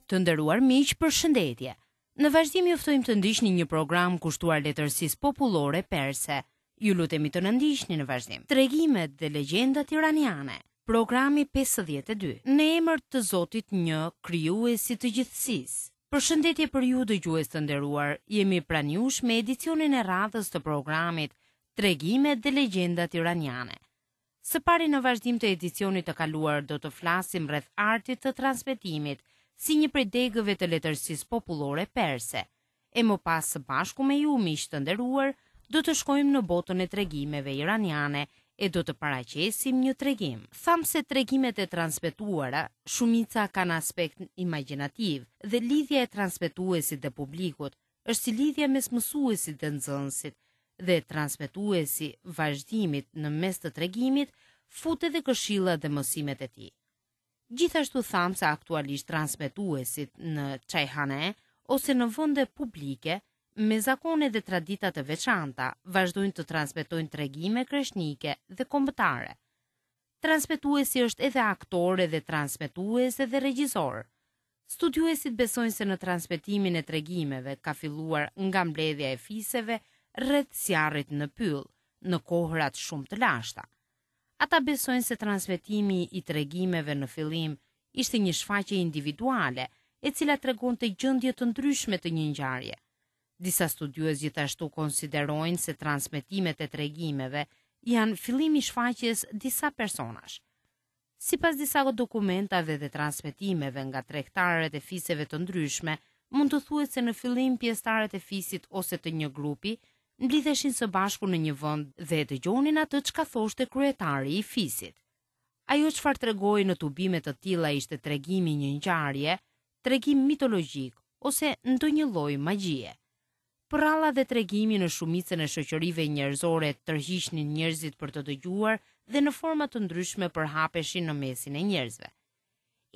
Të nderuar miq, përshëndetje. Në vazhdim ju ftojmë të ndiqni një program kushtuar letërsisë popullore perse. Ju lutemi të na ndiqni në vazhdim. Tregimet dhe legjendat iraniane. Programi 52. Në emër të Zotit një, krijuesit të gjithësisë. Përshëndetje për ju dëgjues të nderuar. Jemi pranë jush me edicionin e radhës të programit Tregimet dhe legjendat iraniane. Së pari në vazhdim të edicionit të kaluar do të flasim rreth artit të transmetimit si një prej degëve të letërsisë popullore perse. E më pas së bashku me ju miq të nderuar do të shkojmë në botën e tregimeve iraniane e do të paraqesim një tregim. Thamë se tregimet e transmetuara shumica kanë aspekt imagjinativ dhe lidhja e transmetuesit dhe publikut është si lidhja mes mësuesit dhe nxënësit dhe transmetuesi vazhdimit në mes të tregimit fut edhe këshillat dhe mësimet e tij. Gjithashtu thamë se aktualisht transmetuesit në çajhane ose në vende publike me zakone dhe tradita të veçanta vazhdojnë të transmetojnë tregime kreshnike dhe kombëtare. Transmetuesi është edhe aktor edhe transmetues edhe regjisor. Studiuesit besojnë se në transmetimin e tregimeve ka filluar nga mbledhja e fiseve rreth zjarrit në pyll, në kohërat shumë të lashta. Ata besojnë se transmetimi i tregimeve në fillim ishte një shfaqje individuale, e cila tregonte gjendje të ndryshme të një ngjarje. Disa studiues gjithashtu konsiderojnë se transmetimet e tregimeve janë fillimi i shfaqjes disa personash. Sipas disa dokumentave dhe transmetimeve nga tregtarët e fiseve të ndryshme, mund të thuhet se në fillim pjesëtarët e fisit ose të një grupi mblidheshin së bashku në një vend dhe dëgjonin atë çka thoshte kryetari i fisit. Ajo çfarë tregohej në tubime të tilla ishte tregimi i një ngjarje, tregim mitologjik ose ndonjë lloj magjie. Përralla dhe tregimi në shumicën e shoqërive njerëzore tërhiqnin njerëzit për të dëgjuar dhe në forma të ndryshme përhapeshin në mesin e njerëzve.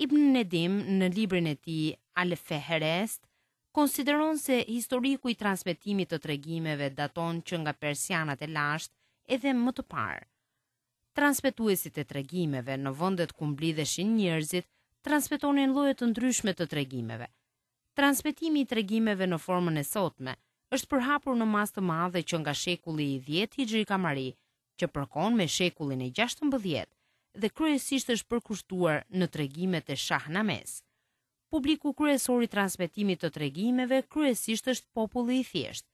Ibn Nedim në librin e tij Al-Feherest konsideron se historiku i transmetimit të tregimeve daton që nga persianët e lashtë edhe më të parë. Transmetuesit e tregimeve në vendet ku mblidheshin njerëzit transmetonin lloje të ndryshme të tregimeve. Transmetimi i tregimeve në formën e sotme është përhapur në masë të madhe që nga shekulli i dhjetë hixhri kamari, që përkon me shekullin e 16 dhe kryesisht është përkushtuar në tregimet e Shahnames. Publiku kryesor i transmetimit të tregimeve kryesisht është populli i thjeshtë.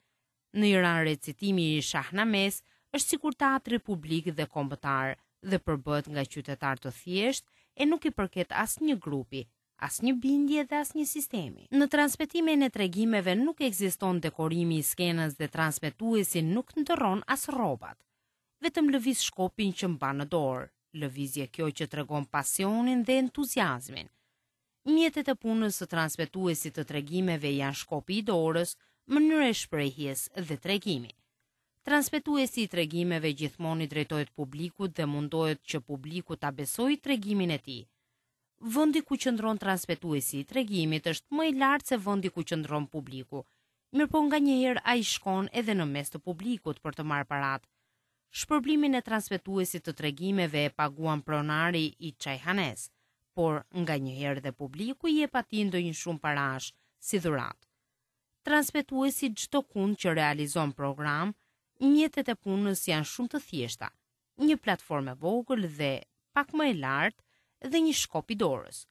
Në Iran recitimi i Shahnames është sikur teatri publik dhe kombëtar dhe përbëhet nga qytetarë të thjeshtë e nuk i përket asnjë grupi, asnjë bindje dhe asnjë sistemi. Në transmetimin e tregimeve nuk ekziston dekorimi i skenës dhe transmetuesi nuk ndërron as rrobat. Vetëm lëviz shkopin që mban në dorë, lëvizje kjo që tregon pasionin dhe entuziazmin. Mjetet e punës së transmetuesit të tregimeve janë shkopi i dorës, mënyra e shprehjes dhe tregimi. Transmetuesi i tregimeve gjithmonë i drejtohet publikut dhe mundohet që publiku ta besojë tregimin e tij. Vendi ku qëndron transmetuesi i tregimit është më i lartë se vendi ku qëndron publiku. Mirëpo nganjëherë ai shkon edhe në mes të publikut për të marrë paratë. Shpërblimin e transmetuesit të tregimeve e paguan pronari i çajhanes, por nganjëherë dhe publiku i jep atij ndonjë shumë parash si dhuratë. Transmetuesi çdokund që realizon program, mjetet e punës janë shumë të thjeshta, një platformë e vogël dhe pak më e lartë dhe një shkop i dorës.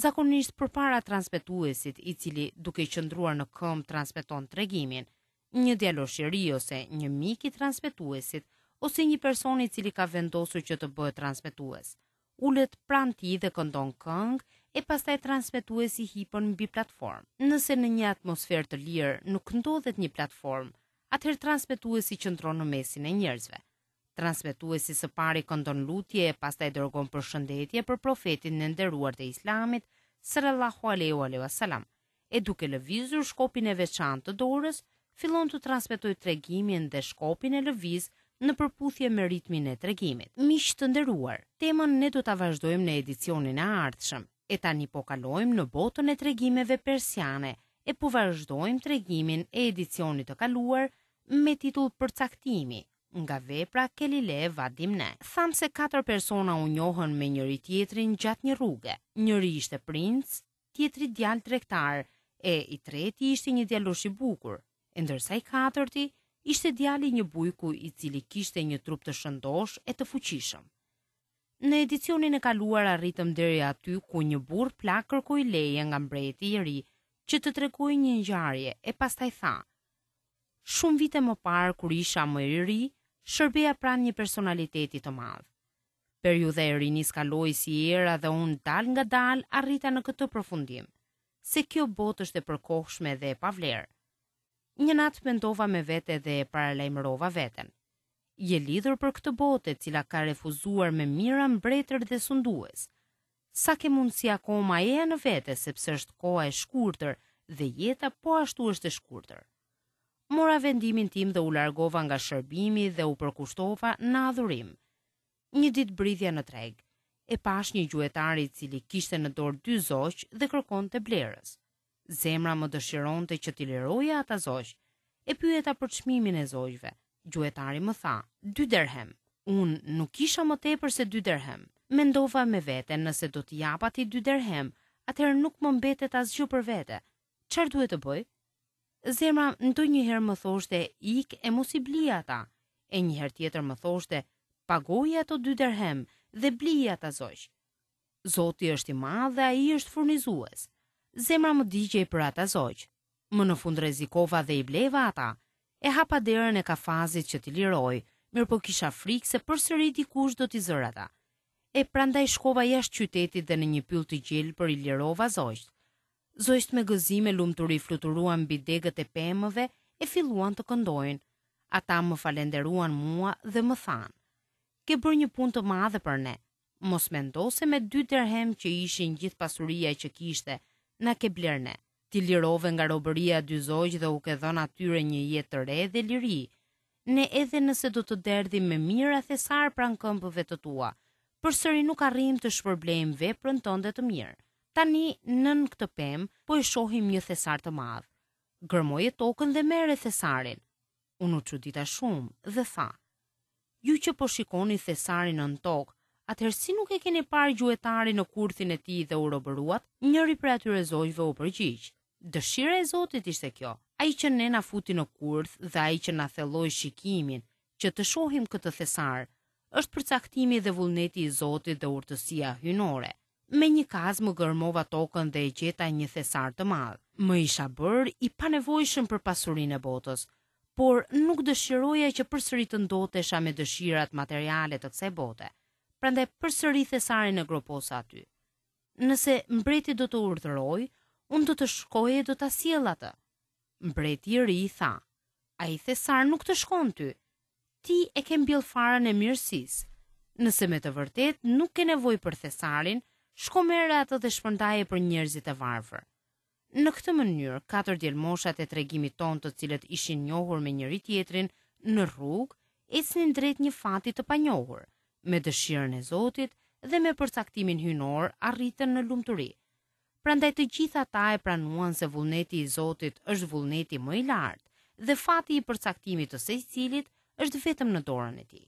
Zakonisht përpara transmetuesit, i cili duke qëndruar në këmbë transmeton tregimin, një djalosh i ri ose një mik i transmetuesit ose një person i cili ka vendosur që të bëhet transmetues, ulet pranë tij dhe këndon këngë e pastaj transmetuesi hipën mbi platformë. Nëse në një atmosferë të lirë nuk ndodhet një platformë, atëherë transmetuesi qëndron në mesin e njerëzve. Transmetuesi së pari këndon lutje e pastaj dërgon përshëndetje për profetin e nderuar të Islamit, sallallahu alaihi wa sallam, e duke lëvizur shkopin e veçantë të dorës, fillon të transmetojë tregimin dhe shkopin e lëviz në përputhje me ritmin e tregimit. Miq të nderuar, temën ne do ta vazhdojmë në edicionin e ardhshëm, e tani po kalojmë në botën e tregimeve persiane e po vazhdojmë tregimin e edicionit të kaluar me titull Përcaktimi, nga vepra Kelile va Dimne. Thamë se katër persona u njohën me njëri-tjetrin gjatë një rruge. Njëri ishte princ, tjetri djalë tregtar, e i treti ishte një djalosh i bukur, e ndërsa i katërti ishte djali i një bujku i cili kishte një trup të shëndoshë e të fuqishëm. Në edicionin e kaluar arritëm deri aty ku një burrë plak kërkoi leje nga mbreti i ri që të tregojë një ngjarje e pastaj tha: Shumë vite më parë kur isha më i ri, shërbeja pranë një personaliteti të madh. Periudha e rinisë kaloi si era dhe unë dalëngadalë arrita në këtë përfundim, se kjo botë është e përkohshme dhe e pavlerë. Një natë mendova me vete dhe e paralajmërova veten. Je lidhur për këtë botë e cila ka refuzuar me mijëra mbretër dhe sundues. Sa ke mundësi akoma eja në vete sepse është koha e shkurtër dhe jeta po ashtu është e shkurtër. Mora vendimin tim dhe u largova nga shërbimi dhe u përkushtova në adhurim. Një ditë bridhja në treg. E pashë një gjuetar i cili kishte në dorë dy zogj dhe kërkonte blerës. Zemra më dëshironte që t'i liroja ata zogj. E pyeta për çmimin e zogjve. Gjuetari më tha, dy derhem. Unë nuk kisha më tepër se dy derhem. Mendova me vete nëse do t'i jap atij dy derhem, atëherë nuk më mbetet asgjë për vete. Çfarë duhet të bëj? Zemra ndonjëherë më thoshte ik e mos i bli ata, e një herë tjetër më thoshte pagoji ato dy derhem dhe bliji ata zogj. Zoti është i madh dhe ai është furnizues. Zemra më digjej për ata zogj. Më në fund rrezikova dhe i bleva ata. E hapa derën e kafazit që t'i liroj, mirëpo kisha frikë se përsëri dikush do t'i zërë ata. E prandaj shkova jashtë qytetit dhe në një pyll të gjelbër i lirova zogjtë. Zogjtë me gëzim e lumturi fluturuan mbi degët e pemëve e filluan të këndojnë. Ata më falenderuan mua dhe më thanë, Ke bërë një punë të madhe për ne. Mos mendo se me dy derhem që ishin gjithë pasuria që kishte, na ke blerë ne. Ti lirove nga robëria dy zogj dhe u ke dhënë atyre një jetë të re dhe liri. Ne edhe nëse do të derdhim me mijëra thesarë pranë këmbëve të tua, përsëri nuk arrijmë të shpërblejmë veprën tënde të mirë. Tani nën këtë pemë po e shohim një thesar të madh. Gërmoje tokën dhe merre thesarin. Unë u çudita shumë dhe tha, Ju që po shikoni thesarin nën tokë, atëherë si nuk e keni parë gjuetarin në kurthin e tij dhe u robëruat? Njëri prej atyre zogjve u përgjigj, Dëshira e Zotit ishte kjo, ai që ne na futi në kurth dhe ai që na thelloi shikimin, që të shohim këtë thesar, është përcaktimi dhe vullneti i Zotit dhe urtësia hyjnore. Me një kazmë gërmova tokën dhe e gjeta një thesar të madh. Më isha bërë i panevojshëm për pasurinë e botës, por nuk dëshiroja që përsëri të ndotesha me dëshirat materiale të kësaj bote. Prandaj përsëri thesarin e groposa aty. Nëse mbreti do të urdhërojë, unë do të shkoj e do ta sjell atë. Mbreti i ri i tha, ai thesar nuk të shkon ty. Ti e ke mbjellë farën e mirësisë. Nëse me të vërtetë nuk ke nevojë për thesarin, shko merre atë dhe shpërndaje për njerëzit e varfër. Në këtë mënyrë, katër djelmoshat e tregimit tonë të cilët ishin njohur me njëri-tjetrin në rrugë, ecnin drejt një fati të panjohur, me dëshirën e Zotit dhe me përcaktimin hyjnor arritën në lumturi. Prandaj të gjithë ata e pranuan se vullneti i Zotit është vullneti më i lartë dhe fati i përcaktimit të secilit është vetëm në dorën e tij.